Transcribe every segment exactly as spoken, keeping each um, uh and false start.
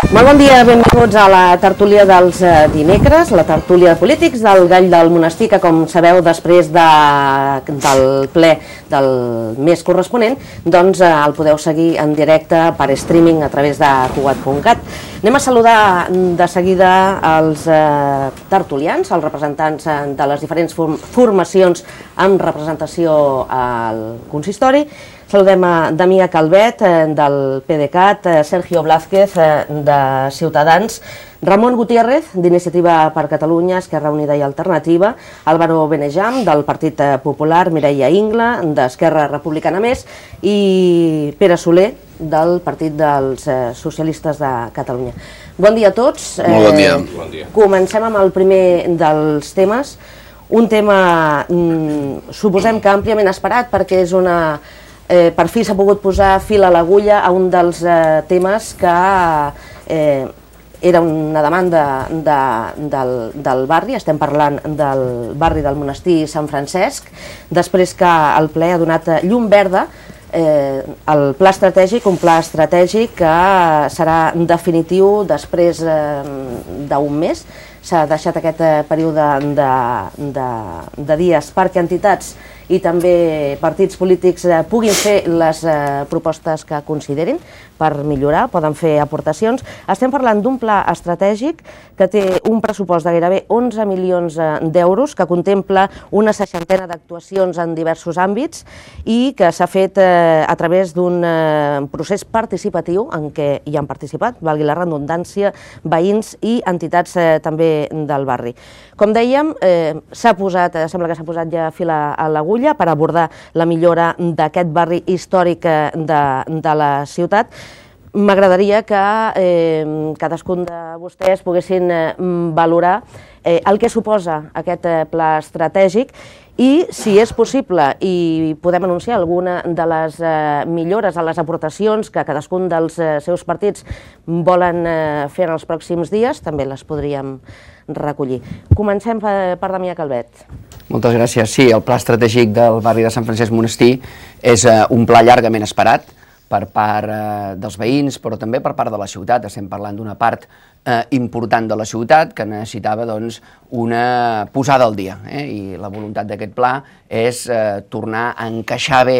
Molt bon dia, benvinguts a la tertúlia dels dimecres, la tertúlia de polítics del Gall del Monestir, que com sabeu després de, del ple del mes corresponent, doncs el podeu seguir en directe per streaming a través de cugat punt cat. Anem a saludar de seguida els eh, tertulians, els representants de les diferents formacions amb representació al consistori. Saludem a Damià Calvet, del PDeCAT, Sergio Blázquez, de Ciutadans, Ramon Gutiérrez, d'Iniciativa per Catalunya, Esquerra Unida i Alternativa, Álvaro Benejam, del Partit Popular, Mireia Ingla, d'Esquerra Republicana Més, i Pere Soler, del Partit dels Socialistes de Catalunya. Bon dia a tots. Molt bon dia. Bon dia. Comencem amb el primer dels temes, un tema, mm, suposem que àmpliament esperat, perquè és una... Eh, per fi s'ha pogut posar fil a l'agulla a un dels eh, temes que eh, era una demanda de, del, del barri, estem parlant del barri del Monestir Sant Francesc, després que el ple ha donat llum verda, eh, el pla estratègic, un pla estratègic que serà definitiu després eh, d'un mes. S'ha deixat aquest període de, de, de dies perquè entitats i també partits polítics puguin fer les propostes que considerin per millorar, poden fer aportacions. Estem parlant d'un pla estratègic que té un pressupost de gairebé onze milions d'euros, que contempla una seixantena d'actuacions en diversos àmbits i que s'ha fet a través d'un procés participatiu en què hi han participat, valgui la redundància, veïns i entitats també del barri. Com dèiem, s'ha posat, sembla que s'ha posat ja fil a l'agulla per abordar la millora d'aquest barri històric de, de la ciutat. M'agradaria que eh, cadascun de vostès poguessin eh, valorar eh, el que suposa aquest eh, pla estratègic i, si és possible, i podem anunciar alguna de les eh, millores a les aportacions que cadascun dels eh, seus partits volen eh, fer en els pròxims dies, també les podríem recollir. Comencem per, per Damià Calvet. Moltes gràcies. Sí, el pla estratègic del barri de Sant Francesc Monestir és eh, un pla llargament esperat per part eh, dels veïns, però també per part de la ciutat. Estem parlant d'una part eh, important de la ciutat que necessitava doncs, una posada al dia. Eh? I la voluntat d'aquest pla és eh, tornar a encaixar bé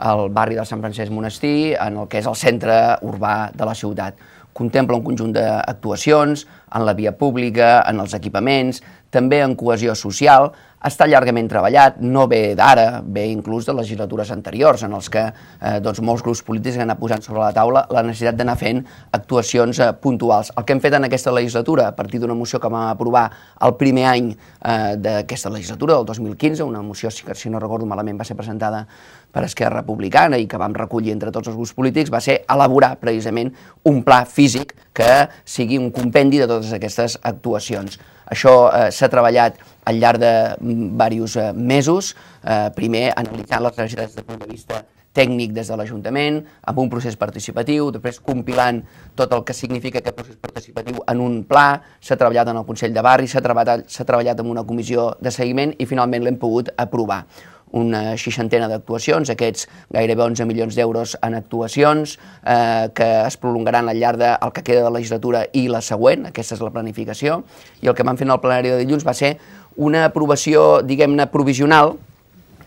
el barri de Sant Francesc Monestir en el que és el centre urbà de la ciutat. Contempla un conjunt d'actuacions en la via pública, en els equipaments, també en cohesió social. Està llargament treballat, no ve d'ara, ve inclús de legislatures anteriors, en els que eh, doncs, molts grups polítics han anat posant sobre la taula la necessitat d'anar fent actuacions eh, puntuals. El que hem fet en aquesta legislatura, a partir d'una moció que vam aprovar el primer any eh, d'aquesta legislatura, del dos mil quinze, una moció, si, si no recordo malament, va ser presentada per Esquerra Republicana i que vam recollir entre tots els grups polítics, va ser elaborar precisament un pla físic que sigui un compendi de totes aquestes actuacions. Això eh, s'ha treballat al llarg de diversos eh, mesos, eh, primer analitzant les necessitats des del punt de vista tècnic des de l'Ajuntament, amb un procés participatiu, després compilant tot el que significa aquest procés participatiu en un pla, s'ha treballat en el Consell de Barri, s'ha treballat, s'ha treballat en una comissió de seguiment i finalment l'hem pogut aprovar. Una seixantena d'actuacions, aquests gairebé onze milions d'euros en actuacions eh, que es prolongaran al llarg del que queda de la legislatura i la següent, aquesta és la planificació, i el que vam fer en el plenari de dilluns va ser una aprovació, diguem-ne, provisional,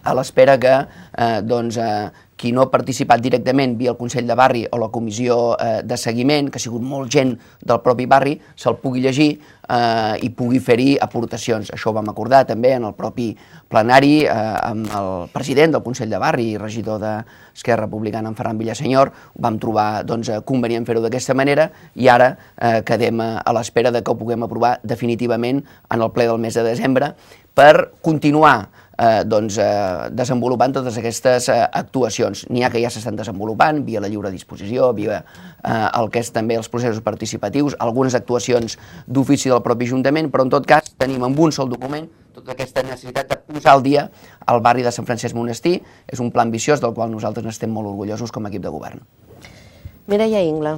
a l'espera que eh, doncs, eh, qui no ha participat directament via el Consell de Barri o la comissió eh, de seguiment, que ha sigut molt gent del propi barri, se'l pugui llegir eh, i pugui fer-hi aportacions. Això ho vam acordar també en el propi plenari eh, amb el president del Consell de Barri i regidor d'Esquerra Republicana, en Ferran Villasenyor. Vam trobar doncs, convenient fer-ho d'aquesta manera i ara eh, quedem a l'espera de que ho puguem aprovar definitivament en el ple del mes de desembre per continuar Eh, doncs, eh, desenvolupant totes aquestes eh, actuacions. N'hi ha que ja s'estan desenvolupant via la lliure disposició, via eh, el que és també els processos participatius, algunes actuacions d'ofici del propi Ajuntament, però en tot cas tenim en un sol document tota aquesta necessitat de posar al dia el barri de Sant Francesc Monestir. És un pla ambiciós del qual nosaltres n'estem molt orgullosos com a equip de govern. Mireia Ingla.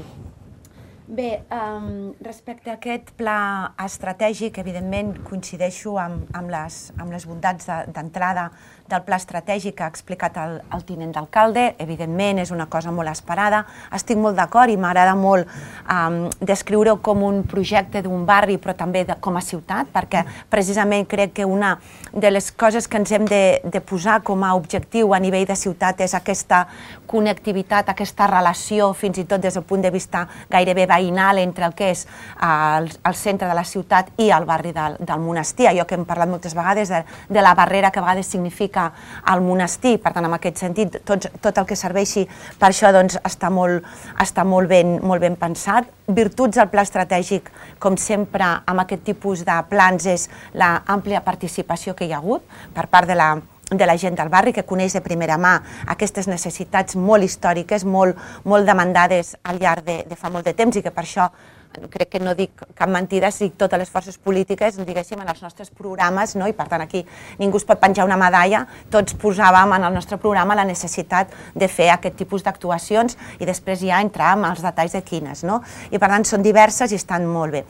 Bé, um, respecte a aquest pla estratègic, evidentment coincideixo amb, amb, les, amb les bondats d'entrada de, del pla estratègic que ha explicat el, el tinent d'alcalde. Evidentment és una cosa molt esperada. Estic molt d'acord i m'agrada molt um, descriure-ho com un projecte d'un barri, però també de, com a ciutat, perquè precisament crec que una de les coses que ens hem de, de posar com a objectiu a nivell de ciutat és aquesta connectivitat, aquesta relació, fins i tot des del punt de vista gairebé veïnal entre el que és el, el centre de la ciutat i el barri del, del monestir, allò que hem parlat moltes vegades de, de la barrera que a vegades significa el monestir. Per tant, en aquest sentit, tot, tot el que serveixi per això doncs, està, molt, està molt, ben, molt ben pensat. Virtuts del pla estratègic, com sempre, amb aquest tipus de plans, és l'àmplia participació que hi ha hagut per part de la de la gent del barri, que coneix de primera mà aquestes necessitats molt històriques, molt, molt demandades al llarg de, de fa molt de temps, i que per això crec que no dic cap mentida si totes les forces polítiques, diguéssim, en els nostres programes, no? I per tant aquí ningú es pot penjar una medalla, tots posàvem en el nostre programa la necessitat de fer aquest tipus d'actuacions i després ja entrar en els detalls de quines, no? I per tant són diverses i estan molt bé.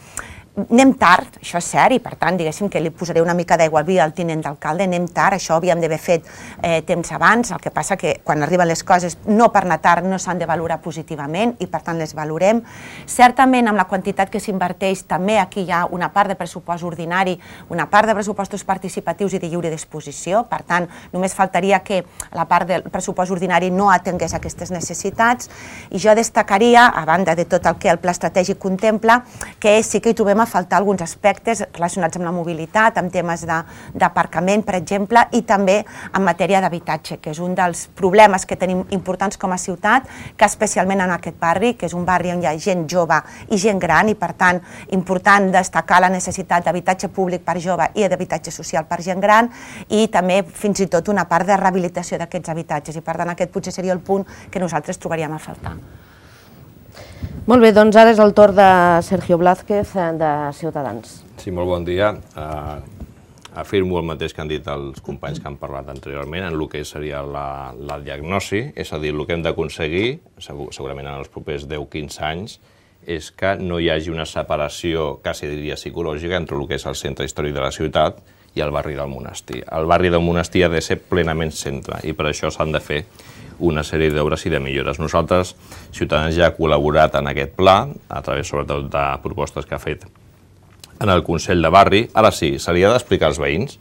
Anem tard, això és cert, i per tant, diguéssim que li posaré una mica d'aigua al vi al tinent d'alcalde, anem tard, això ho havíem d'haver fet eh, temps abans, el que passa que quan arriben les coses, no per anar tard, no s'han de valorar positivament i per tant les valorem. Certament, amb la quantitat que s'inverteix, també aquí hi ha una part de pressupost ordinari, una part de pressupostos participatius i de lliure disposició, per tant, només faltaria que la part del pressupost ordinari no atengués aquestes necessitats, i jo destacaria, a banda de tot el que el pla estratègic contempla, que sí que hi trobem a faltar alguns aspectes relacionats amb la mobilitat, amb temes d'aparcament, per exemple, i també en matèria d'habitatge, que és un dels problemes que tenim importants com a ciutat, que especialment en aquest barri, que és un barri on hi ha gent jove i gent gran, i per tant, important destacar la necessitat d'habitatge públic per jove i d'habitatge social per gent gran, i també fins i tot una part de rehabilitació d'aquests habitatges, i per tant aquest potser seria el punt que nosaltres trobaríem a faltar. Molt bé, doncs ara és el torn de Sergio Blázquez, de Ciutadans. Sí, molt bon dia. Uh, afirmo el mateix que han dit els companys que han parlat anteriorment en el que seria la, la diagnosi, és a dir, el que hem d'aconseguir, segur, segurament en els propers deu a quinze anys, és que no hi hagi una separació, quasi diria psicològica, entre el que és el centre històric de la ciutat i el barri del monestir. El barri del monestir ha de ser plenament centre i per això s'han de fer una sèrie d'obres i de millores. Nosaltres, Ciutadans, ja ha col·laborat en aquest pla, a través sobretot de propostes que ha fet en el Consell de Barri. Ara sí, se li ha d'explicar als veïns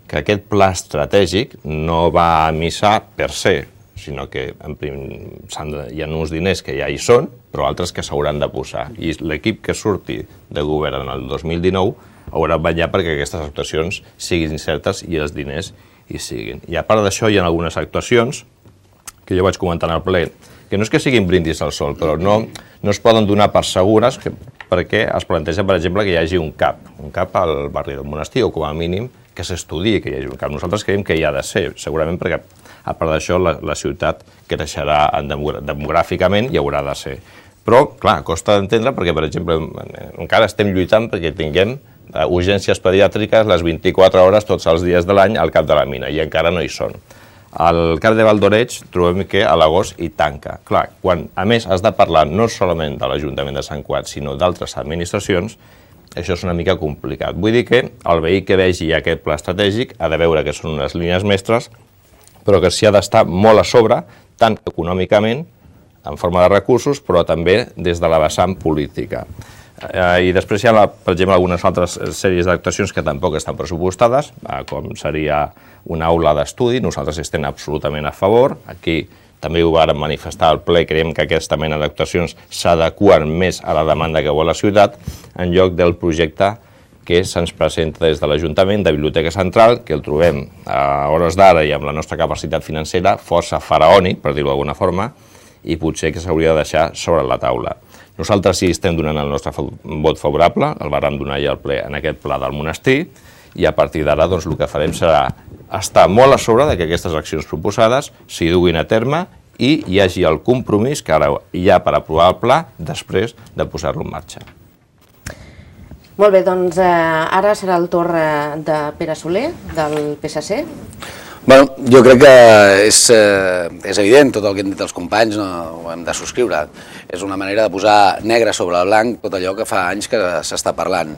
que aquest pla estratègic no va a missa per se, sinó que en prim, de, hi ha uns diners que ja hi són, però altres que s'hauran de posar. I l'equip que surti de govern en el dos mil dinou haurà de vetllar perquè aquestes actuacions siguin certes i els diners hi siguin. I a part d'això hi ha algunes actuacions que jo vaig comentar en el ple, que no és que siguin brindis al sol, però no, no es poden donar per segures que, perquè es planteja, per exemple, que hi hagi un CAP, un CAP al barri del monestir, o com a mínim que s'estudiï que hi hagi un CAP. Nosaltres creiem que hi ha de ser, segurament perquè a part d'això la, la ciutat creixerà demogràficament i haurà de ser. Però, clar, costa d'entendre perquè, per exemple, encara estem lluitant perquè tinguem urgències pediàtriques les vint-i-quatre hores tots els dies de l'any al cap de la mina, i encara no hi són. Al Car de Valdoreig trobem que a l'agost hi tanca. Clar, quan a més has de parlar no solament de l'Ajuntament de Sant Cugat, sinó d'altres administracions, això és una mica complicat. Vull dir que el veí que vegi aquest pla estratègic ha de veure que són unes línies mestres, però que s'hi ha d'estar molt a sobre, tant econòmicament, en forma de recursos, però també des de la vessant política. I després hi ha, per exemple, algunes altres sèries d'actuacions que tampoc estan pressupostades, com seria una aula d'estudi. Nosaltres estem absolutament a favor. Aquí també ho vàrem manifestar al ple, creiem que aquesta mena d'actuacions s'adeqüen més a la demanda que vol la ciutat, en lloc del projecte que se'ns presenta des de l'Ajuntament de Biblioteca Central, que el trobem a hores d'ara i amb la nostra capacitat financera força faraònic, per dir-ho d'alguna forma, i potser que s'hauria de deixar sobre la taula. Nosaltres sí estem donant el nostre vot favorable, el vàrem donar ja al ple en aquest pla del monestir, i a partir d'ara doncs, el que farem serà estar molt a sobre de que aquestes accions proposades s'hi duguin a terme i hi hagi el compromís que ara hi ha per aprovar el pla després de posar-lo en marxa. Molt bé, doncs eh, ara serà el torn de Pere Soler, del P S C. Bueno, jo crec que és, eh, és evident, tot el que han dit els companys no, ho hem de subscriure. És una manera de posar negre sobre el blanc tot allò que fa anys que s'està parlant.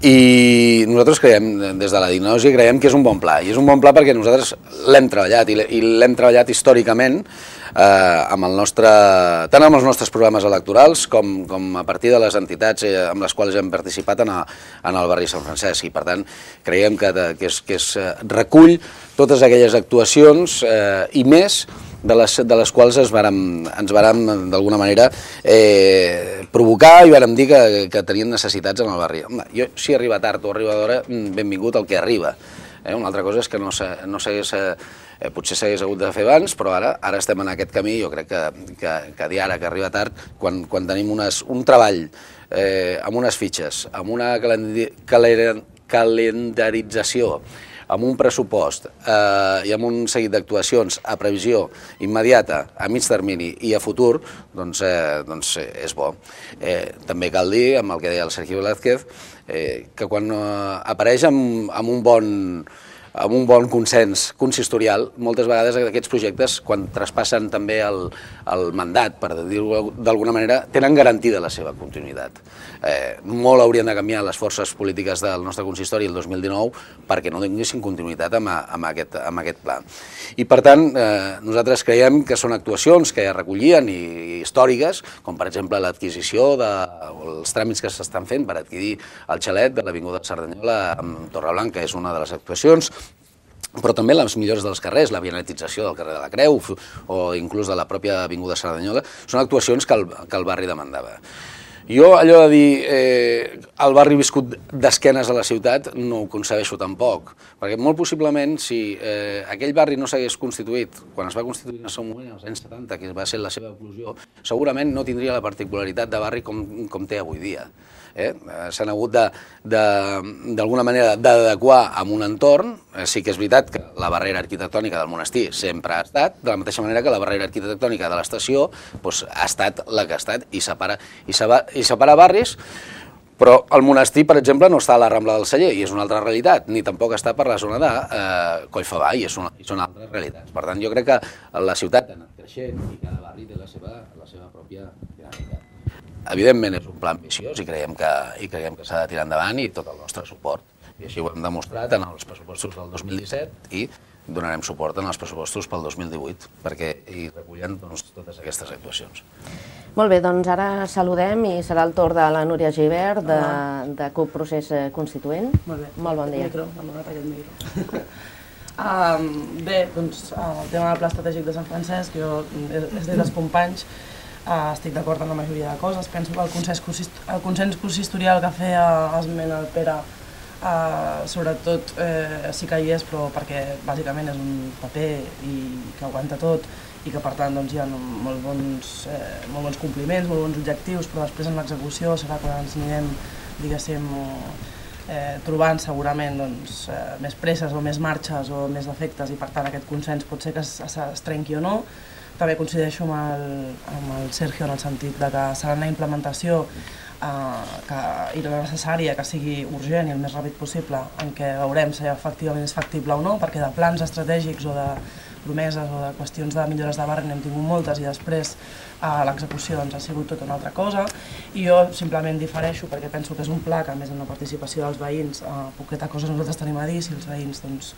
I nosaltres creiem, des de la Diagnosi, creiem que és un bon pla. I és un bon pla perquè nosaltres l'hem treballat, i l'hem treballat històricament eh, amb el nostre, tant amb els nostres programes electorals com, com a partir de les entitats eh, amb les quals hem participat en, a, en el barri Sant Francesc. I per tant creiem que, que, és, que és, recull totes aquelles actuacions eh, i més de les, de les quals es vàrem, ens vàrem, d'alguna manera, eh, provocar i vàrem dir que, que tenien necessitats en el barri. Home, jo, si arriba tard o arriba d'hora, benvingut el que arriba. Eh, una altra cosa és que no s'hagués, eh, potser s'hagués hagut de fer abans, però ara ara estem en aquest camí. Jo crec que, que, que dir ara que arriba tard, quan, quan tenim unes, un treball eh, amb unes fitxes, amb una calendarització, amb un pressupost eh, i amb un seguit d'actuacions a previsió immediata, a mig termini i a futur, doncs, eh, doncs eh, és bo. Eh, també cal dir, amb el que deia el Sergi Velázquez, eh, que quan eh, apareix amb, amb un bon amb un bon consens consistorial, moltes vegades aquests projectes, quan traspassen també el, el mandat, per dir-ho d'alguna manera, tenen garantida la seva continuïtat. Eh, molt haurien de canviar les forces polítiques del nostre consistori el dos mil dinou perquè no tinguessin continuïtat amb, amb, aquest, amb aquest pla. I per tant, eh, nosaltres creiem que són actuacions que ja recollien i, i històriques, com per exemple l'adquisició dels tràmits que s'estan fent per adquirir el xalet de l'Avinguda Cerdanyola amb Torreblanca, és una de les actuacions, però també les millores dels carrers, la vianetització del carrer de la Creu o inclús de la pròpia Avinguda Cerdanyola, són actuacions que el, que el barri demandava. Jo allò de dir eh, el barri viscut d'esquenes a la ciutat no ho concebeixo tampoc, perquè molt possiblement si eh, aquell barri no s'hagués constituït, quan es va constituir en el seu moment, als anys setanta, que va ser la seva eclosió, segurament no tindria la particularitat de barri com, com té avui dia. Eh? S'han hagut d'alguna manera d'adequar a un entorn. Eh, sí que és veritat que la barrera arquitectònica del monestir sempre ha estat, de la mateixa manera que la barrera arquitectònica de l'estació doncs, ha estat la que ha estat i separa, i separa, i separa barris, però el monestir, per exemple, no està a la Rambla del Celler i és una altra realitat, ni tampoc està per la zona de eh, Collfabà i, és una, i són altres realitats. Per tant, jo crec que la ciutat ha anat creixent i cada barri té la seva, la seva pròpia dinàmica. Evidentment és un pla ambiciós i creiem que, i creiem que s'ha de tirar endavant i tot el nostre suport. I així ho hem demostrat en els pressupostos del dos mil disset i donarem suport en els pressupostos pel dos mil divuit perquè hi recullen doncs, totes aquestes actuacions. Molt bé, doncs ara saludem i serà el torn de la Núria Gibert de, de C U P Procés Constituent. Molt bé. Molt bon dia. Micro, m'ha donat aquest micro. um, bé, doncs el tema del Pla Estratègic de Sant Francesc, jo és dit dels companys, Uh, estic d'acord amb la majoria de coses. Penso que el consens, el consens consistorial que feia esment el Pere, uh, sobretot eh, sí que hi és, però perquè bàsicament és un paper i que aguanta tot i que per tant doncs, hi ha molt bons, eh, molt bons compliments, molt bons objectius, però després en l'execució serà quan ens anirem, diguéssim, eh, trobant segurament doncs, eh, més presses o més marxes o més defectes i per tant aquest consens pot ser que es, es, es trenqui o no. També coincideixo amb el, amb el Sergio en el sentit de que serà una implementació eh, que, i la necessària que sigui urgent i el més ràpid possible, en què veurem si efectivament és factible o no, perquè de plans estratègics o de promeses o de qüestions de millores de barri n'hem tingut moltes i després eh, l'execució doncs, ha sigut tota una altra cosa. I jo simplement difereixo perquè penso que és un pla que, a més amb la participació dels veïns, eh, poqueta cosa nosaltres tenim a dir si els veïns doncs,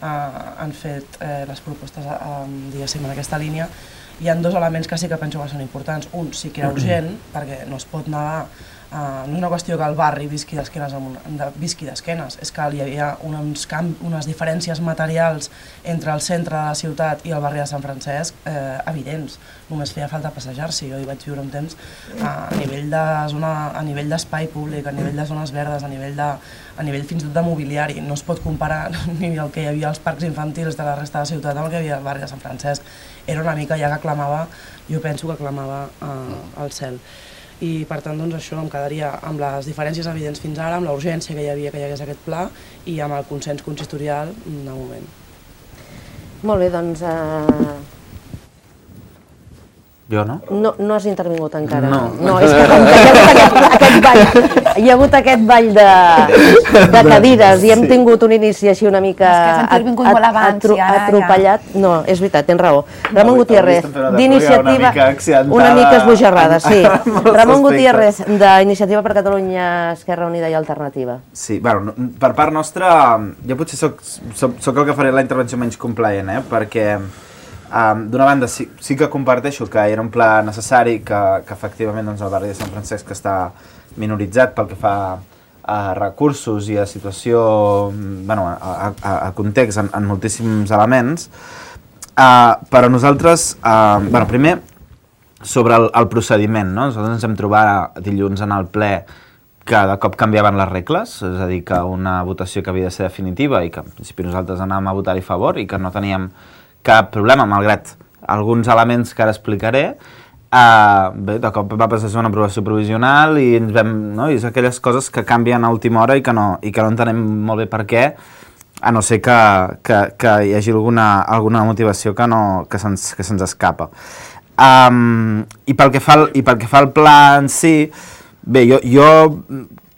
Uh, han fet eh, les propostes uh, diguéssim en aquesta línia. Hi ha dos elements que sí que penso que són importants. Un, sí que era urgent, perquè no es pot negar, uh, no és una qüestió que el barri visqui d'esquenes, de, visqui d'esquenes, és que hi havia uns camp, unes diferències materials entre el centre de la ciutat i el barri de Sant Francesc eh, evidents. Només feia falta passejar-s'hi. Jo hi vaig viure un temps uh, a nivell de zona, a nivell d'espai públic, a nivell de zones verdes, a nivell de a nivell fins i tot de mobiliari. No es pot comparar ni el que hi havia als parcs infantils de la resta de la ciutat amb el que hi havia al barri de Sant Francesc. Era una mica ja que clamava, jo penso que clamava uh, al cel. I per tant doncs, això em quedaria amb les diferències evidents fins ara, amb la urgència que hi havia que hi hagués aquest pla i amb el consens consistorial de moment. Molt bé, doncs... Uh... Jo no? No, no has intervingut encara. No. No, és que com que hi ha hagut aquest, aquest ball, hi ha hagut aquest ball de, de cadires i hem tingut un inici així una mica És que has intervingut molt abans i ara ja- atropellat. No, és veritat, tens raó. Ramon Avui- Gutiérrez, avui estem fent una d'iniciativa... tertúlia una mica accidentada Una mica esbojarrada, sí. en- en molts Ramon aspectes. Gutiérrez, d'Iniciativa per Catalunya, Esquerra Unida i Alternativa. Sí, bueno, no- per part nostra, jo potser soc, soc, soc el que faré la intervenció menys complaent, eh? Perquè um, d'una banda sí, sí que comparteixo que era un pla necessari, que, que efectivament doncs, el barri de Sant Francesc està minoritzat pel que fa a recursos i a situació, bueno, a, a, a context en, en moltíssims elements, uh, però nosaltres, uh, bueno, primer, sobre el, el procediment, no? Nosaltres ens hem trobat dilluns en el ple que de cop canviaven les regles, és a dir, que una votació que havia de ser definitiva i que en principi nosaltres anàvem a votar-hi a favor i que no teníem cap problema, malgrat alguns elements que ara explicaré, uh, bé, de cop va passar a ser una aprovació provisional i ens vam, no? I és aquelles coses que canvien a última hora i que no, i que no entenem molt bé per què, a no ser que, que, que hi hagi alguna, alguna motivació que, no, que se'ns que se'ns escapa. Um, i, pel que fa al, I pel que fa al pla en si, bé, jo, jo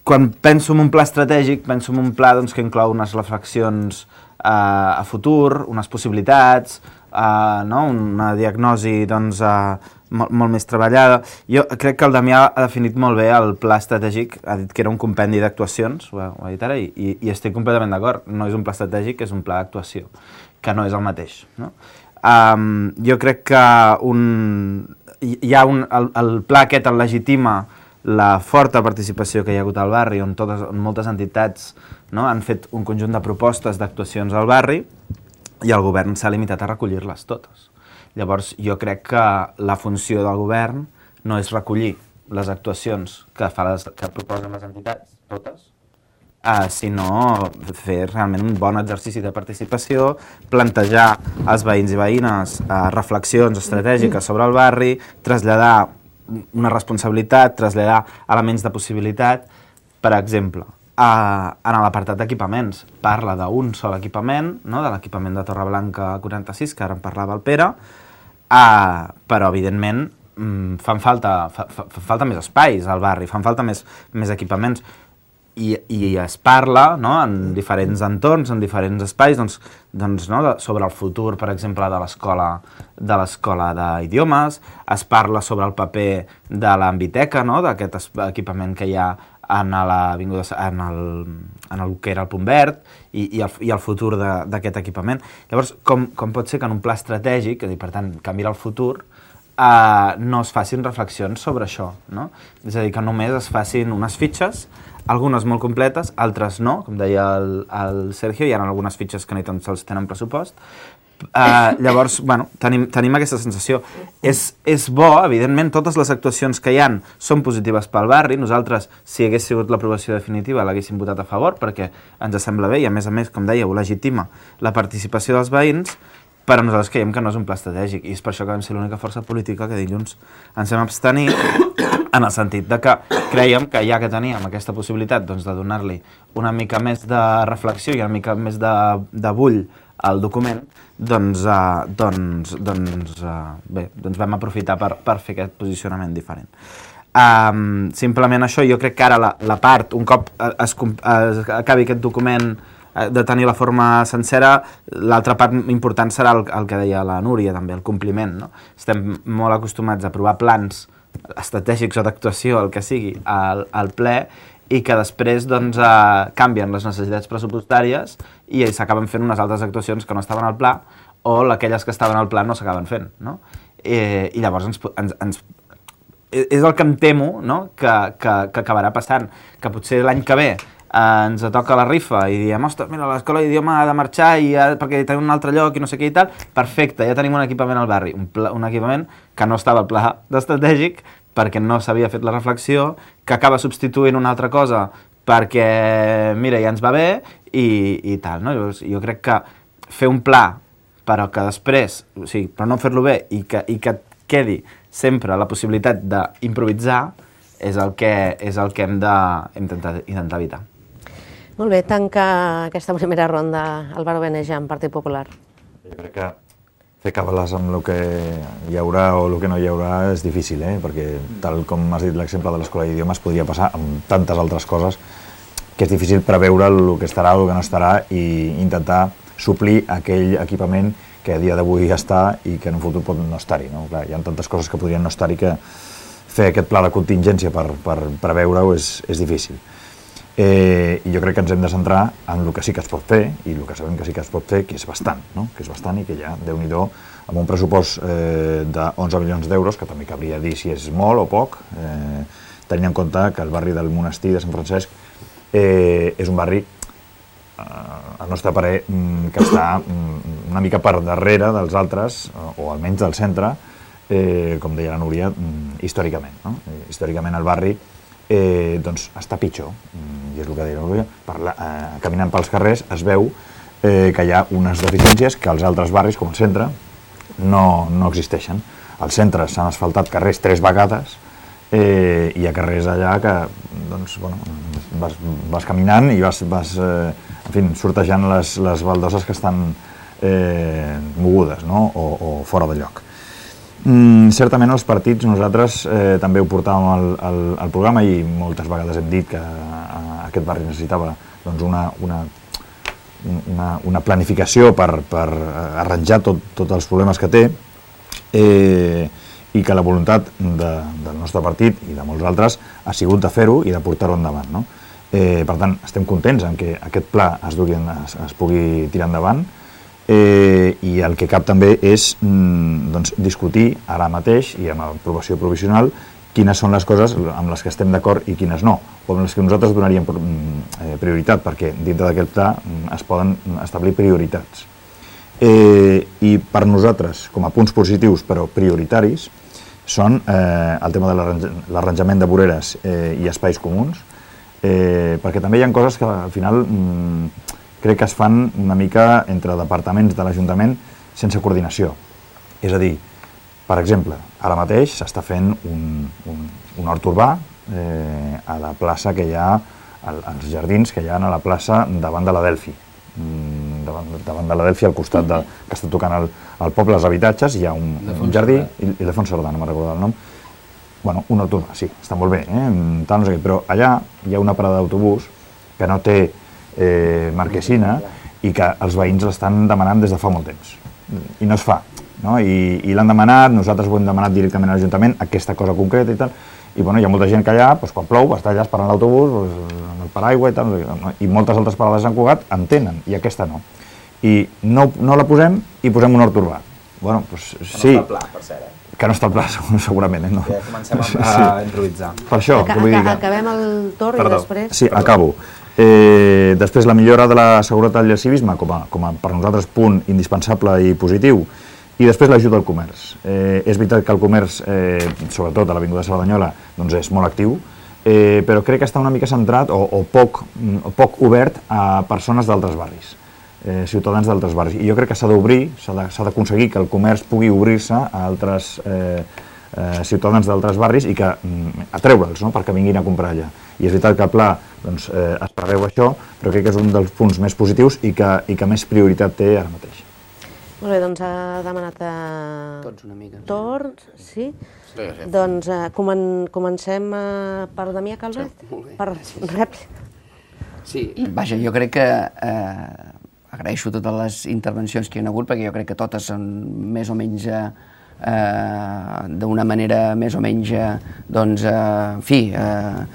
quan penso en un pla estratègic, penso en un pla doncs, que inclou unes reflexions uh, a futur, unes possibilitats, uh, no? Una diagnosi doncs, uh, molt, molt més treballada. Jo crec que el Damià ha definit molt bé el pla estratègic, ha dit que era un compendi d'actuacions, ho, ho ha dit ara, i, i, i estic completament d'acord. No és un pla estratègic, és un pla d'actuació, que no és el mateix. No? Um, jo crec que un, hi ha un, el, el pla aquest el legitima la forta participació que hi ha hagut al barri, on, totes, on moltes entitats, no, han fet un conjunt de propostes d'actuacions al barri i el govern s'ha limitat a recollir-les totes. Llavors, jo crec que la funció del govern no és recollir les actuacions que, fa les, que proposen les entitats, totes, Uh, sinó fer realment un bon exercici de participació, plantejar als veïns i veïnes uh, reflexions estratègiques sobre el barri, traslladar una responsabilitat, traslladar elements de possibilitat. Per exemple, uh, en l'apartat d'equipaments, parla d'un sol equipament, no? De l'equipament de Torreblanca quaranta-sis, que ara en parlava el Pere, uh, però evidentment um, fan falta, fa, fa, fa falta més espais al barri, fan falta més, més equipaments. I, i es parla, no, en diferents entorns, en diferents espais, doncs, doncs, no, de, sobre el futur, per exemple, de l'escola de l'escola d'idiomes, es parla sobre el paper de l'ambiteca, no, d'aquest equipament que hi ha en, l'avinguda, en, el, en el que era el Punt Verd i, i, el, i el futur d'aquest equipament. Llavors, com, com pot ser que en un pla estratègic, és a dir, per tant, que mira el futur, eh, no es facin reflexions sobre això, no? És a dir, que només es facin unes fitxes, algunes molt completes, altres no, com deia el, el Sergio, hi ha algunes fitxes que ni tan sols tenen pressupost. Uh, llavors, bueno, tenim, tenim aquesta sensació. És, és bo, evidentment, totes les actuacions que hi han són positives pel barri. Nosaltres, si hagués sigut l'aprovació definitiva, l'haguéssim votat a favor, perquè ens sembla bé i, a més a més, com dèieu, legitima la participació dels veïns, però nosaltres creiem que no és un pla estratègic i és per això que vam ser l'única força política que dilluns ens vam abstenir, en el sentit de que creiem que ja que teníem aquesta possibilitat doncs, de donar-li una mica més de reflexió i una mica més de, de bull al document, doncs, uh, doncs, doncs, uh, bé, doncs vam aprofitar per, per fer aquest posicionament diferent. Um, simplement això, jo crec que ara la, la part, un cop es, es acabi aquest document de tenir la forma sencera, l'altra part important serà el, el que deia la Núria també, el compliment, no? Estem molt acostumats a aprovar plans estratègics o d'actuació, el que sigui, al, al ple, i que després doncs, eh, canvien les necessitats pressupostàries i s'acaben fent unes altres actuacions que no estaven al pla, o aquelles que estaven al pla no s'acaben fent, no? I, i llavors ens, ens, ens és el que em temo, no? que, que, que acabarà passant, que potser l'any que ve Uh, ens toca la rifa i diem, ostres, mira, l'escola d'idioma ha de marxar i ha, perquè tenim un altre lloc i no sé què i tal, perfecte, ja tenim un equipament al barri, un, pla, un equipament que no estava al pla d'estratègic perquè no s'havia fet la reflexió, que acaba substituint una altra cosa perquè, mira, ja ens va bé i, i tal, no? Llavors, jo crec que fer un pla però que després, o sigui, però no fer-lo bé i que, i que quedi sempre la possibilitat d'improvisar és el que, és el que hem d'intentar intentar evitar. Molt bé, tanca aquesta primera ronda Álvaro Beneja, en Partit Popular. Jo crec que fer càbales amb el que hi haurà o el que no hi haurà és difícil, eh? Perquè tal com has dit l'exemple de l'escola d'idiomes podria passar amb tantes altres coses que és difícil preveure el que estarà o el que no estarà i intentar suplir aquell equipament que a dia d'avui està i que en un futur pot no estar-hi. No? Clar, hi ha tantes coses que podrien no estar-hi que fer aquest pla de contingència per, per preveure-ho és, és difícil. Eh, I jo crec que ens hem de centrar en el que sí que es pot fer i el que sabem que sí que es pot fer, que és bastant, no? que és bastant i que ja, Déu-n'hi-do, amb un pressupost eh, d'onze milions d'euros, que també cabria dir si és molt o poc, eh, tenint en compte que el barri del Monestir de Sant Francesc eh, és un barri, eh, al nostre parer, que està una mica per darrere dels altres, o almenys del centre, eh, com deia la Núria, històricament. No? Històricament el barri eh, doncs, està pitjor, i és el que deia la Núria, Parla, eh, caminant pels carrers es veu eh, que hi ha unes deficiències que als altres barris, com el centre, no, no existeixen. Als centres s'han asfaltat carrers tres vegades eh, i hi ha carrers allà que doncs, bueno, vas, vas caminant i vas, vas eh, en fi, sortejant les, les baldoses que estan eh, mogudes, no? o, o fora de lloc. Mm, certament els partits nosaltres eh, també ho portàvem al, al, al programa i moltes vegades hem dit que a, aquest barri necessitava doncs, una, una, una, una planificació per, per arranjar tot, tots els problemes que té eh, i que la voluntat de, del nostre partit i de molts altres ha sigut de fer-ho i de portar-ho endavant. No? Eh, per tant, estem contents en que aquest pla es, dugui, es, es pugui tirar endavant. Eh, i el que cap també és mm, doncs, discutir ara mateix i amb aprovació provisional quines són les coses amb les que estem d'acord i quines no, o amb les que nosaltres donaríem eh, prioritat, perquè dintre d'aquest pla es poden establir prioritats. Eh, I per nosaltres, com a punts positius però prioritaris, són eh, el tema de l'arranjament de voreres eh, i espais comuns, eh, perquè també hi ha coses que al final mm, crec que es fan una mica entre departaments de l'Ajuntament sense coordinació. És a dir, per exemple, ara mateix s'està fent un, un, un hort urbà eh, a la plaça que hi ha, als jardins que hi ha a la plaça davant de la Delphi. Mm, davant, davant de la Delphi, al costat de, que està tocant el, el poble, els habitatges, hi ha un, un jardí, i, i Ildefons Cerdà, no me'n recordo el nom. Bueno, un hort urbà, sí, està molt bé, eh? Tal, no sé què, però allà hi ha una parada d'autobús que no té Eh, marquesina i que els veïns l'estan demanant des de fa molt temps i no es fa, no? I, i l'han demanat, nosaltres ho hem demanat directament a l'Ajuntament, aquesta cosa concreta i tal, i bueno, hi ha molta gent que allà, doncs, quan plou, està allà esperant l'autobús doncs, amb el paraigua i tal, i moltes altres parades de Sant Cugat en tenen, i aquesta no. I no, no la posem i posem un hort urbà. Bueno, doncs sí. Que no està al pla, per cert, eh? Que no està al pla, segurament, eh? No. Ja comencem a, a sí. improvisar. Per això, Aca vull dir que... Acabem el torn Perdó. i després... Sí, Perdó. acabo. Eh, després la millora de la seguretat i el civisme com a, com a per nosaltres punt indispensable i positiu, i després l'ajut al comerç. Eh, és veritat que el comerç, eh, sobretot a l'Avinguda Cerdanyola, doncs és molt actiu, eh, però crec que està una mica centrat o, o, poc, o poc obert a persones d'altres barris, eh, ciutadans d'altres barris. I jo crec que s'ha d'obrir, s'ha d'aconseguir que el comerç pugui obrir-se a altres eh, eh, ciutadans d'altres barris i que mm, atreure'ls, no?, perquè vinguin a comprar allà. I és veritat que el pla doncs, eh, es preveu això, però crec que és un dels punts més positius i que, i que més prioritat té ara mateix. Molt bé, doncs ha demanat a... Tots una mica. Torn, sí? Sí, sí. Doncs eh, comen comencem eh, per Damià Calvet, Sí, molt bé. per rèplica. Sí, vaja, jo crec que eh, agraeixo totes les intervencions que hi ha hagut, perquè jo crec que totes són més o menys eh, eh, d'una manera més o menys, eh, doncs, eh, en fi, eh,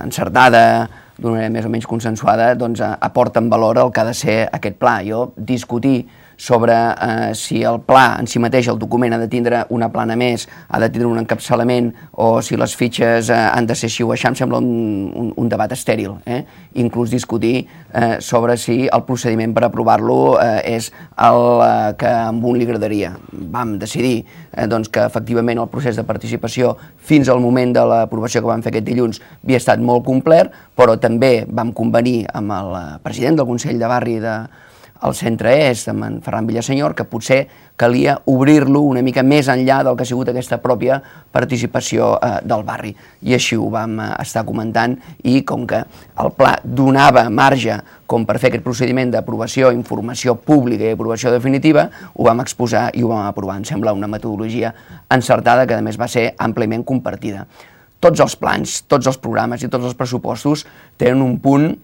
encertada, d'una manera més o menys consensuada, doncs eh, aporten valor al que ha de ser aquest pla. Jo discutir sobre eh, si el pla en si mateix, el document, ha de tindre una plana més, ha de tindre un encapçalament, o si les fitxes eh, han de ser així o així, em sembla un, un, un debat estèril. Eh? Inclús discutir eh, sobre si el procediment per aprovar-lo eh, és el eh, que a un li agradaria. Vam decidir eh, doncs, que efectivament el procés de participació fins al moment de l'aprovació que vam fer aquest dilluns havia estat molt complet, però també vam convenir amb el president del Consell de Barri de al centre est, amb en Ferran Villasenyor, que potser calia obrir-lo una mica més enllà del que ha sigut aquesta pròpia participació eh, del barri. I així ho vam eh, estar comentant, i com que el pla donava marge com per fer aquest procediment d'aprovació, informació pública i aprovació definitiva, ho vam exposar i ho vam aprovar. Em sembla una metodologia encertada que a més va ser àmpliament compartida. Tots els plans, tots els programes i tots els pressupostos tenen un punt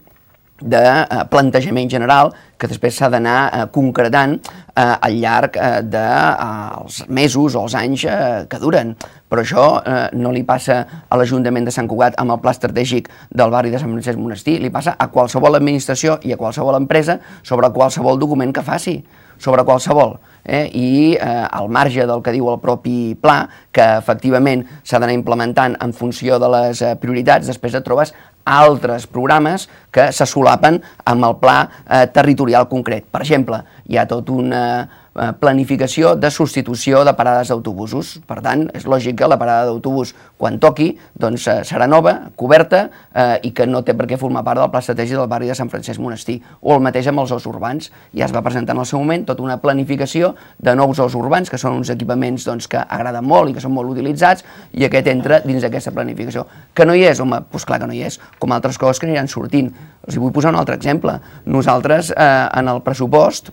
de eh, plantejament general que després s'ha d'anar eh, concretant eh, al llarg eh, dels eh, mesos o els anys eh, que duren. Però això eh, no li passa a l'Ajuntament de Sant Cugat amb el pla estratègic del barri de Sant Francesc Monestir, li passa a qualsevol administració i a qualsevol empresa sobre qualsevol document que faci, sobre qualsevol. Eh? I eh, al marge del que diu el propi pla, que efectivament s'ha d'anar implementant en funció de les eh, prioritats, després et trobes altres programes que se solapen amb el pla eh, territorial concret. Per exemple, hi ha tot una eh, planificació de substitució de parades d'autobusos. Per tant, és lògic que la parada d'autobús, quan toqui, doncs, eh, serà nova, coberta, eh, i que no té per què formar part del pla estratègic del barri de Sant Francesc Monestir. O el mateix amb els ous urbans. Ja es va presentar en el seu moment tota una planificació de nous ous urbans, que són uns equipaments doncs, que agraden molt i que són molt utilitzats, i aquest entra dins d'aquesta planificació. Que no hi és? Home, doncs clar que no hi és, com altres coses que aniran sortint. Els vull posar un altre exemple. Nosaltres, eh, en el pressupost,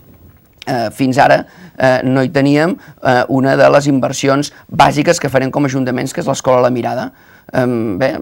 eh, fins ara, eh, no hi teníem eh, una de les inversions bàsiques que farem com a ajuntaments, que és l'Escola La Mirada. Eh, bé,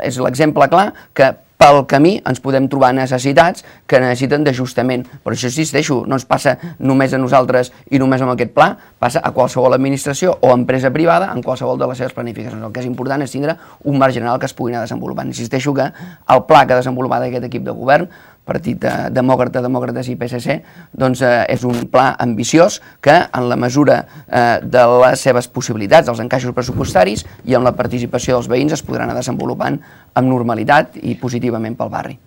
és l'exemple clar que pel camí ens podem trobar necessitats que necessiten d'ajustament. Per això insisteixo, no ens passa només a nosaltres i només amb aquest pla, passa a qualsevol administració o empresa privada en qualsevol de les seves planificacions. El que és important és tindre un marc general que es pugui anar desenvolupant. Insisteixo que el pla que ha desenvolupat aquest equip de govern, Partit Demòcrata, Demòcrates i P S C, doncs eh, és un pla ambiciós que, en la mesura eh, de les seves possibilitats, dels encaixos pressupostaris i amb la participació dels veïns, es podran anar desenvolupant amb normalitat i positivament pel barri.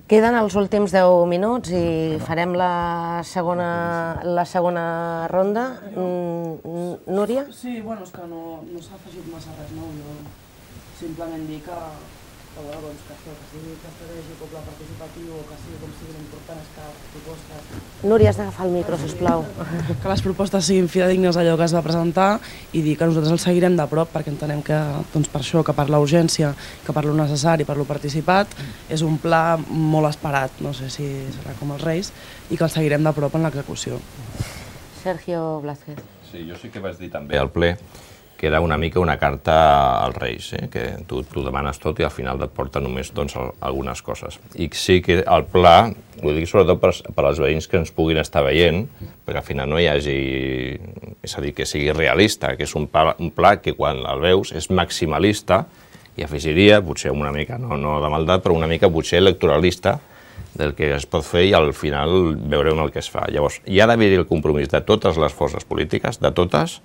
Queden els últims deu minuts i farem la segona, la segona ronda. Mm, Núria? Sí, bueno, és que no, no s'ha afegit massa res, no? Jo simplement dir que, que, bueno, doncs, que això, que sigui que estratègic o pla participatiu o que sigui com siguin importants, que les propostes... Núria, has d'agafar el micro, sisplau. Que les propostes siguin fidedignes a allò que es va presentar i dir que nosaltres el seguirem de prop perquè entenem que, doncs, per això, que per la urgència, que per lo necessari, per lo participat, és un pla molt esperat, no sé si serà com els Reis, i que el seguirem de prop en l'execució. Sergio Blázquez. Sí, jo sí que vaig dir també al ple que era una mica una carta als Reis, eh? Que tu, tu demanes tot i al final et porta només doncs, algunes coses. I sí que el pla, ho dic sobretot per, per als veïns que ens puguin estar veient, perquè al final no hi hagi, és a dir, que sigui realista, que és un pla, un pla que quan el veus és maximalista, i afegiria, potser una mica, no, no de maldat, però una mica potser electoralista, del que es pot fer i al final veurem el que es fa. Llavors, hi ha d'haver el compromís de totes les forces polítiques, de totes,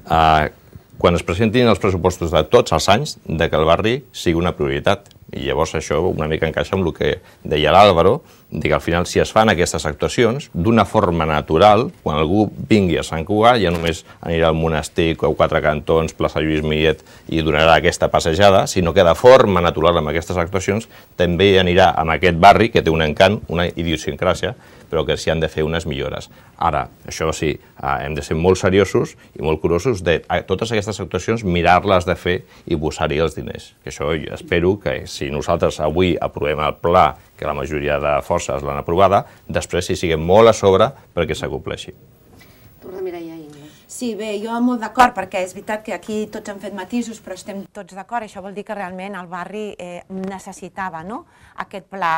eh, quan es presentin els pressupostos de tots els anys, de que el barri sigui una prioritat. I llavors això una mica encaixa amb el que deia l'Àlvaro, que al final si es fan aquestes actuacions, d'una forma natural, quan algú vingui a Sant Cugat, ja només anirà al monestir, a Quatre Cantons, plaça Lluís Millet, i donarà aquesta passejada, sinó que de forma natural amb aquestes actuacions també anirà amb aquest barri, que té un encant, una idiosincràsia, però que s'hi han de fer unes millores. Ara, això sí, hem de ser molt seriosos i molt curosos de totes aquestes actuacions mirar-les de fer i posar-hi els diners. Que això espero que si nosaltres avui aprovem el pla, que la majoria de forces l'han aprovada, després hi siguem molt a sobre perquè s'acompleixi. Torna a Mireia Ingles. Sí, bé, jo molt d'acord, perquè és veritat que aquí tots han fet matisos, però estem tots d'acord. Això vol dir que realment el barri eh, necessitava, no?, aquest pla,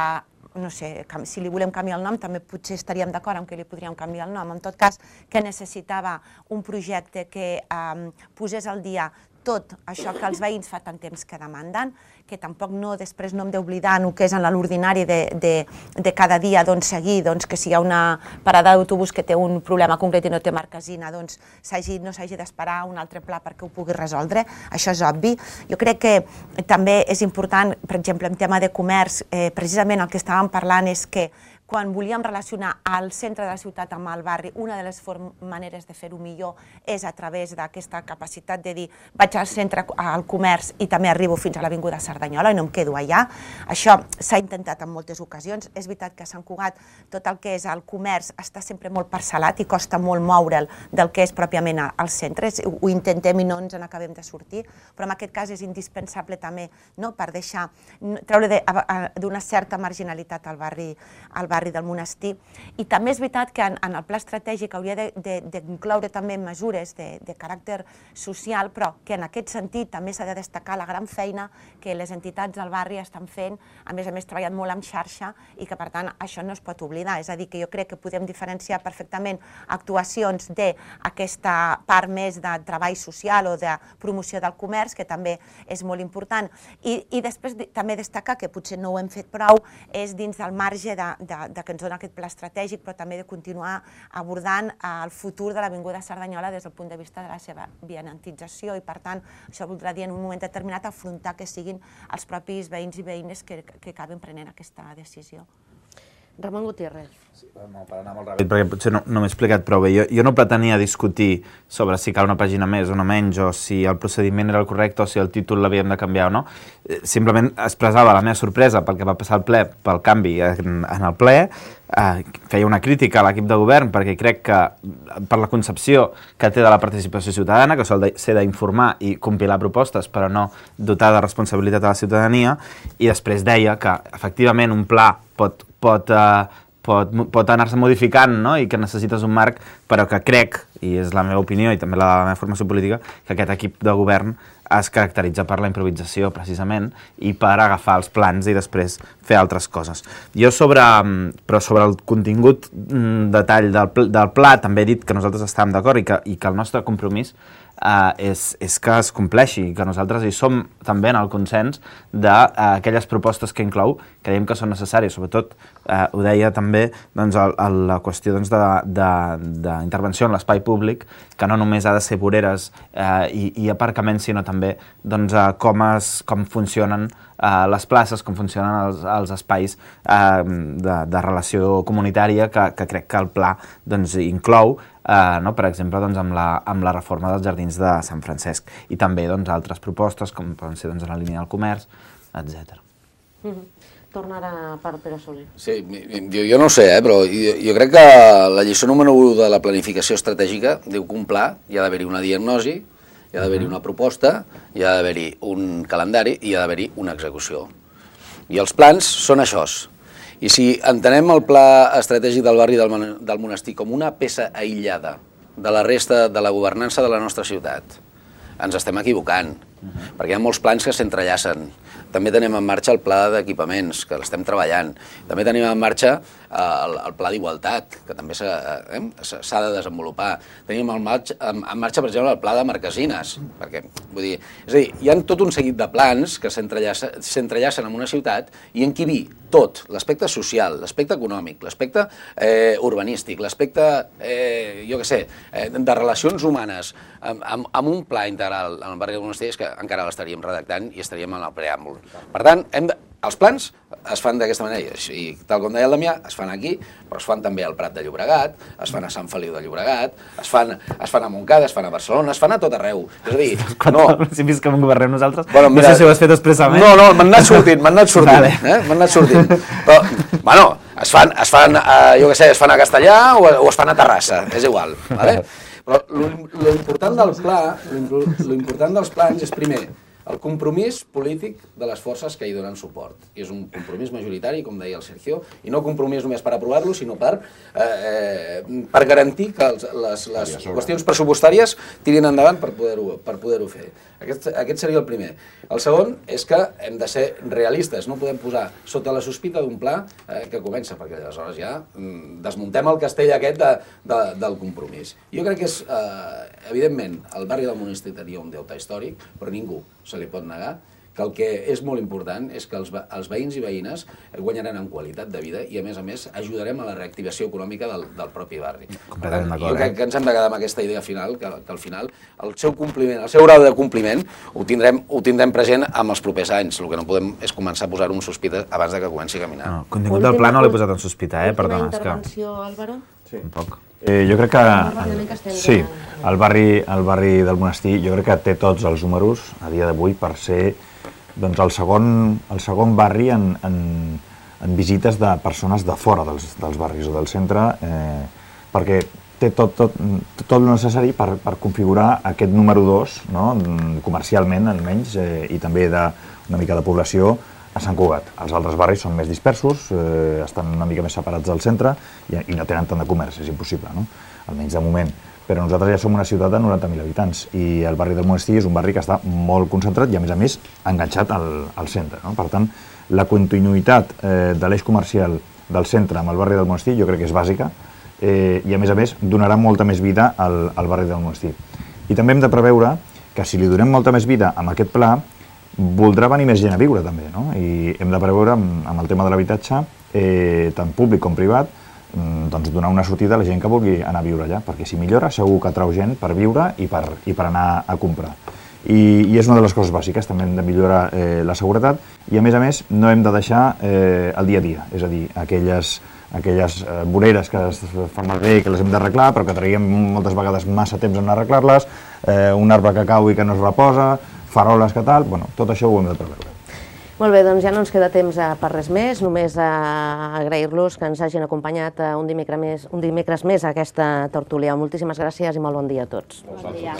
no sé, si li volem canviar el nom, també potser estaríem d'acord amb que li podríem canviar el nom. En tot cas, que necessitava un projecte que eh, posés al dia tot això que els veïns fa tant temps que demanden, que tampoc no, després no hem d'oblidar el que és en l'ordinari de, de, de cada dia, doncs seguir, doncs, que si hi ha una parada d'autobús que té un problema concret i no té marquesina, doncs no s'hagi d'esperar un altre pla perquè ho pugui resoldre, això és obvi. Jo crec que també és important, per exemple, en tema de comerç, eh, precisament el que estàvem parlant és que quan volíem relacionar el centre de la ciutat amb el barri, una de les maneres de fer-ho millor és a través d'aquesta capacitat de dir vaig al centre, al comerç i també arribo fins a l'Avinguda Cerdanyola i no em quedo allà. Això s'ha intentat en moltes ocasions. És veritat que a Sant Cugat tot el que és el comerç està sempre molt parcel·lat i costa molt moure'l del que és pròpiament al centre. Ho intentem i no ens n'acabem de sortir, però en aquest cas és indispensable també per deixar, treure d'una certa marginalitat al barri barri del Monestir. I també és veritat que en el pla estratègic hauria d'incloure també mesures de caràcter social, però que en aquest sentit també s'ha de destacar la gran feina que les entitats del barri estan fent, a més a més treballant molt en xarxa i que per tant això no es pot oblidar. És a dir, que jo crec que podem diferenciar perfectament actuacions d'aquesta part més de treball social o de promoció del comerç, que també és molt important. I després també destacar, que potser no ho hem fet prou, és dins del marge que ens dona aquest pla estratègic, però també de continuar abordant el futur de l'Avinguda Cerdanyola des del punt de vista de la seva vianantització i, per tant, això voldrà dir en un moment determinat afrontar que siguin els propis veïns i veïnes que acaben prenent aquesta decisió. Ramon Gutiérrez. No, per anar molt ràpid, perquè potser no m'he explicat prou bé. Jo no pretenia discutir sobre si cal una pàgina més o no menys, o si el procediment era el correcte, o si el títol l'havíem de canviar o no. Simplement expressava la meva sorpresa pel que va passar al ple, pel canvi en el ple, feia una crítica a l'equip de govern, perquè crec que per la concepció que té de la participació ciutadana, que sol ser d'informar i compilar propostes, però no dotar de responsabilitat a la ciutadania, i després deia que, efectivament, un pla pot pot, uh, pot, pot anar-se modificant, no? I que necessites un marc, però que crec, i és la meva opinió i també la de la meva formació política, que aquest equip de govern es caracteritza per la improvisació, precisament, i per agafar els plans i després fer altres coses. Jo sobre, però sobre el contingut detall del, del pla també he dit que nosaltres estàvem d'acord i, que, i que el nostre compromís Uh, és, és que es compleixi, que nosaltres hi som també en el consens d'aquelles uh, propostes que inclou, que creiem que són necessàries, sobretot uh, ho deia també doncs, el, el, la qüestió doncs, d'intervenció en l'espai públic, que no només ha de ser voreres uh, i, i aparcaments, sinó també doncs, uh, com, es, com funcionen uh, les places, com funcionen els, els espais uh, de, de relació comunitària, que, que crec que el pla doncs, inclou. Uh, no? Per exemple, doncs, amb, la, amb la reforma dels jardins de Sant Francesc i també doncs, altres propostes com poden ser doncs, en la línia del comerç, etcètera. Mm-hmm. Torna ara per Pere Soler. Sí, jo, jo no ho sé, eh, però jo, jo crec que la lliçó número u de la planificació estratègica diu que un pla hi ha d'haver-hi una diagnosi, hi ha d'haver-hi una proposta, hi ha d'haver-hi un calendari i hi ha d'haver-hi una execució. I els plans són això. I si entenem el pla estratègic del barri del Monestir com una peça aïllada de la resta de la governança de la nostra ciutat, ens estem equivocant, perquè hi ha molts plans que s'entrellacen. També tenim en marxa el pla d'equipaments, que l'estem treballant. També tenim en marxa el, el pla d'igualtat, que també s'ha eh, de desenvolupar. Tenim en marxa, en, en marxa, per exemple, el pla de marquesines. Perquè, vull dir, és a dir, hi ha tot un seguit de plans que s'entrellacen en una ciutat i en qui vi tot, l'aspecte social, l'aspecte econòmic, l'aspecte eh, urbanístic, l'aspecte, eh, jo què sé, eh, de relacions humanes, amb, amb, amb un pla integral en el barri del Monestir, és que encara l'estaríem redactant i estaríem en el preàmbul. Per tant, hem de, els plans es fan d'aquesta manera, i tal com deia el Damià, es fan aquí, però es fan també al Prat de Llobregat, es fan a Sant Feliu de Llobregat, es fan, es fan a Montcada, es fan a Barcelona, es fan a tot arreu. És a dir, no... Si fins que governem nosaltres, bueno, mira, no sé si ho has fet expressament. No, no, m'han anat sortint, m'han anat sortint, vale. eh? M'han anat sortint. Però, bueno, es fan, es fan uh, jo què sé, es fan a Castellà o, o es fan a Terrassa, és igual, vale? Però l'important del pla, l'important dels plans és, primer, el compromís polític de les forces que hi donen suport. I és un compromís majoritari, com deia el Sergio, i no compromís només per aprovar-lo, sinó per, eh, per garantir que els, les, les qüestions pressupostàries tirin endavant per poder-ho per poder-ho fer. Aquest, aquest seria el primer. El segon és que hem de ser realistes, no podem posar sota la sospita d'un pla eh, que comença, perquè aleshores ja mm, desmuntem el castell aquest de, de, del compromís. Jo crec que és, eh, evidentment, el barri del Monestir tenia un deute històric, però ningú se li pot negar que que el que és molt important és que els, els veïns i veïnes guanyaran en qualitat de vida i, a més a més, ajudarem a la reactivació econòmica del, del propi barri. Completament d'acord, Jo crec eh? que ens hem de quedar amb aquesta idea final, que, que al final el seu compliment, el seu grau de compliment ho tindrem, ho tindrem present amb els propers anys. El que no podem és començar a posar-ho en sospita abans de que comenci a caminar. No, contingut del pla no l'he posat en sospita, eh? Perdona, és que... intervenció, Álvaro? Sí. Un poc. Eh, jo crec que, Ràpidament que estem sí, ja- el barri, el barri del Monestir jo crec que té tots els números a dia d'avui per ser doncs, el, segon, el segon barri en, en, en visites de persones de fora dels, dels barris o del centre, eh, perquè té tot, tot, tot el necessari per, per configurar aquest número dos, no? Comercialment almenys, eh, i també d'una mica de població a Sant Cugat. Els altres barris són més dispersos, eh, estan una mica més separats del centre i, i no tenen tant de comerç, és impossible, no? Almenys de moment. Però nosaltres ja som una ciutat de noranta mil habitants i el barri del Monestir és un barri que està molt concentrat i, a més a més, enganxat al, al centre, no? Per tant, la continuïtat eh, de l'eix comercial del centre amb el barri del Monestir jo crec que és bàsica eh, i, a més a més, donarà molta més vida al, al barri del Monestir. I també hem de preveure que si li donem molta més vida amb aquest pla, voldrà venir més gent a viure també, no? I hem de preveure amb, amb el tema de l'habitatge, eh, tant públic com privat, doncs donar una sortida a la gent que vulgui anar a viure allà, perquè si millora segur que atrau gent per viure i per, i per anar a comprar. I, I és una de les coses bàsiques, també hem de millorar eh, la seguretat i, a més a més, no hem de deixar eh, el dia a dia, és a dir, aquelles, aquelles eh, voreres que es fan malbé i que les hem d'arreglar, però que traiem moltes vegades massa temps en arreglar-les, eh, un arbre que cau i que no es reposa, faroles que tal, bueno, tot això ho hem de preveure. Molt bé, doncs ja no ens queda temps per res més, només a agrair-los que ens hagin acompanyat un dimecres més, un dimecres més a aquesta tertúlia. Moltíssimes gràcies i molt bon dia a tots. Bon dia.